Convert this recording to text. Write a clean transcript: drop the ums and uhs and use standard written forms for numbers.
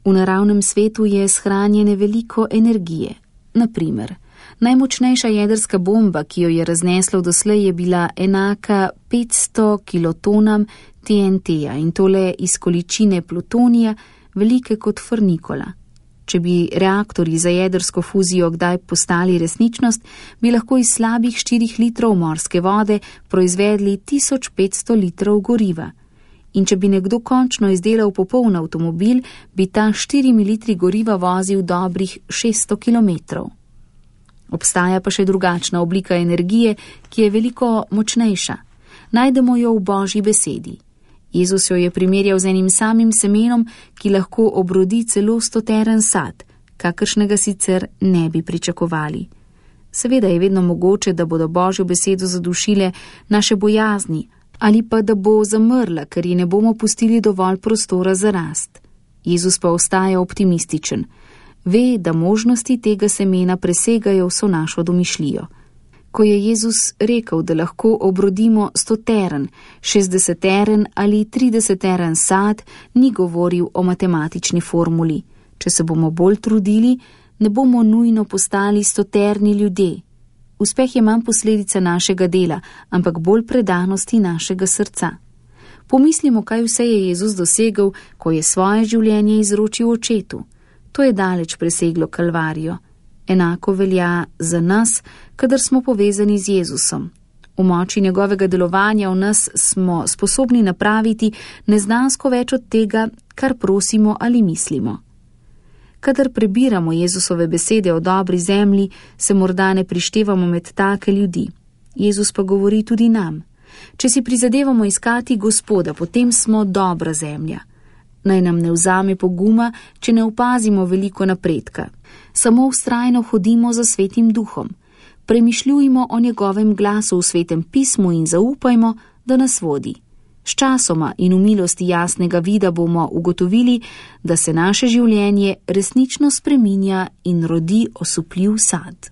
V naravnem svetu je shranjene veliko energije. Naprimer, najmočnejša jedrska bomba, ki jo je razneslo doslej, je bila enaka 500 kilotonam TNT-ja in tole iz količine plutonija, velike kot frnikola. Če bi reaktorji za jedrsko fuzijo kdaj postali resničnost, bi lahko iz slabih 4 litrov morske vode proizvedli 1500 litrov goriva. In če bi nekdo končno izdelal popoln avtomobil, bi ta 4 litri goriva vozil dobrih 600 kilometrov. Obstaja pa še drugačna oblika energije, ki je veliko močnejša. Najdemo jo v Božji besedi. Jezus jo je primerjal z enim samim semenom, ki lahko obrodi celo 100-teren sad, kakršnega sicer ne bi pričakovali. Seveda je vedno mogoče, da bodo Božjo besedo zadušile naše bojazni, ali pa da bo zamrla, ker ji ne bomo pustili dovolj prostora za rast. Jezus pa ostaja optimističen. Ve, da možnosti tega semena presegajo vso našo domišljijo. Ko je Jezus rekel, da lahko obrodimo 100-teren, 60-teren ali 30-teren sad, ni govoril o matematični formuli. Če se bomo bolj trudili, ne bomo nujno postali 100-terni ljudje. Uspeh je manj posledica našega dela, ampak bolj predanosti našega srca. Pomislimo, kaj vse je Jezus dosegel, ko je svoje življenje izročil Očetu. To je daleč preseglo Kalvarijo. Enako velja za nas, kadar smo povezani z Jezusom. V moči njegovega delovanja v nas smo sposobni napraviti neznansko več od tega, kar prosimo ali mislimo. Kadar prebiramo Jezusove besede o dobri zemlji, se morda ne prištevamo med take ljudi. Jezus pa govori tudi nam. Če si prizadevamo iskati Gospoda, potem smo dobra zemlja. Naj nam ne vzame poguma, če ne opazimo veliko napredka. Samo vztrajno hodimo za Svetim Duhom. Premišljujmo o njegovem glasu v Svetem pismu in zaupajmo, da nas vodi. Sčasoma in v milosti jasnega vida bomo ugotovili, da se naše življenje resnično spreminja in rodi osupljiv sad.